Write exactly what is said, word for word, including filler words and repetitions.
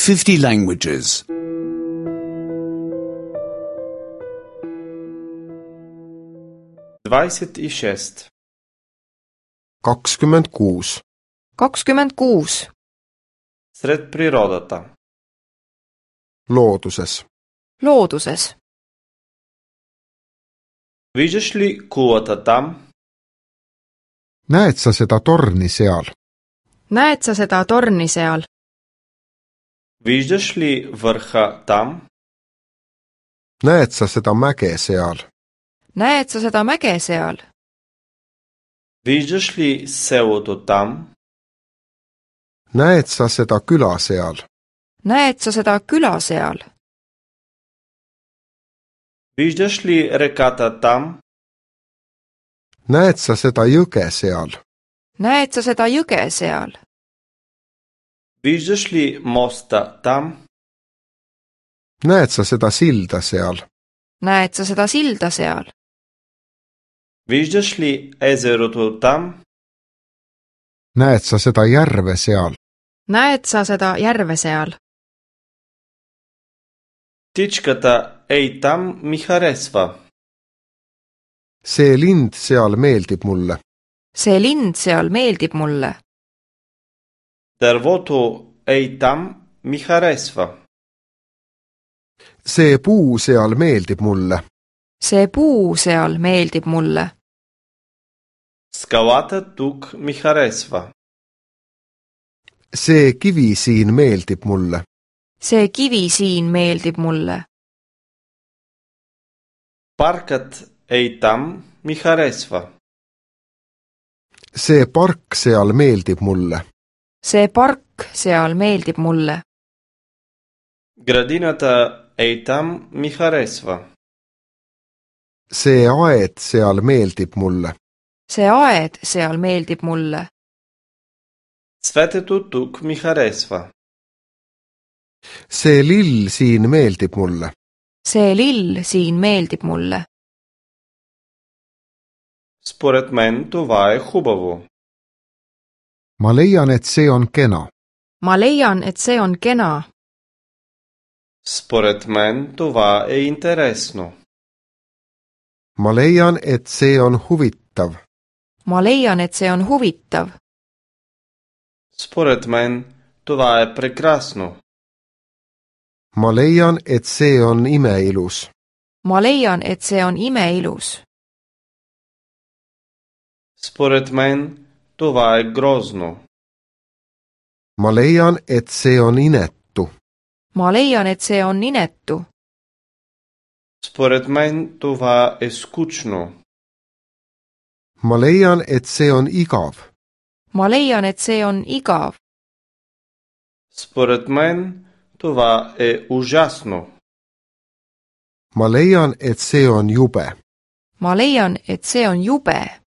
fifty languages. Двадесет и шесть. kakskümmend kuus. kakskümmend kuus. Сред природата. Looduses. Looduses. Виждаш ли кулата там? Näed sa seda torni seal? Näed sa seda torni seal? Виждаш ли върха там? Näed sa seda mäge seal? Näed sa seda mäge seal? Виждаш ли селото там? Näed sa seda küla seal? Näed sa seda küla seal? Виждаш ли реката там? Näed sa seda jõge seal? Näed sa seda jõge seal? Виждаш ли моста там? Näed sa seda silda seal? Näed sa seda silda seal? Виждаш ли езерото там? Näed sa seda järve seal? Näed sa seda järve seal? Птичката ей там ми харесва. See lind seal meeldib mulle. See lind seal meeldib mulle. Дървото ей там ми харесва. See puu seal meeldib mulle. See puu seal meeldib mulle. Скалата тук ми харесва. See kivi siin meeldib mulle. See kivi siin meeldib mulle. Паркът ей там ми харесва. See park seal meeldib mulle. See park seal meeldib mulle. Градината ей там ми харесва. See aed seal meeldib mulle. See aed seal meeldib mulle. Цветето тук ми харесва. See lill siin meeldib mulle. See lill siin meeldib mulle. Според мен това е хубаво. Ma leian, et see on kena. Ma leian, et see on kena. Според мен това е интересно. Ma leian, et see on huvitav. Ma leian, et see on huvitav. Според мен това е прекрасно. Ma leian, et see on imeilus. Ma leian, et see on imeilus. Според мен това е грозно. Ma leian, et see on inetu. Ma leian, et see on inetu. Според мен това е скучно. Ma leian, et see on igav. Ma leian, et see on igav. Според мен това е ужасно. Ma leian, et see on jube. Ma leian, et see on jube.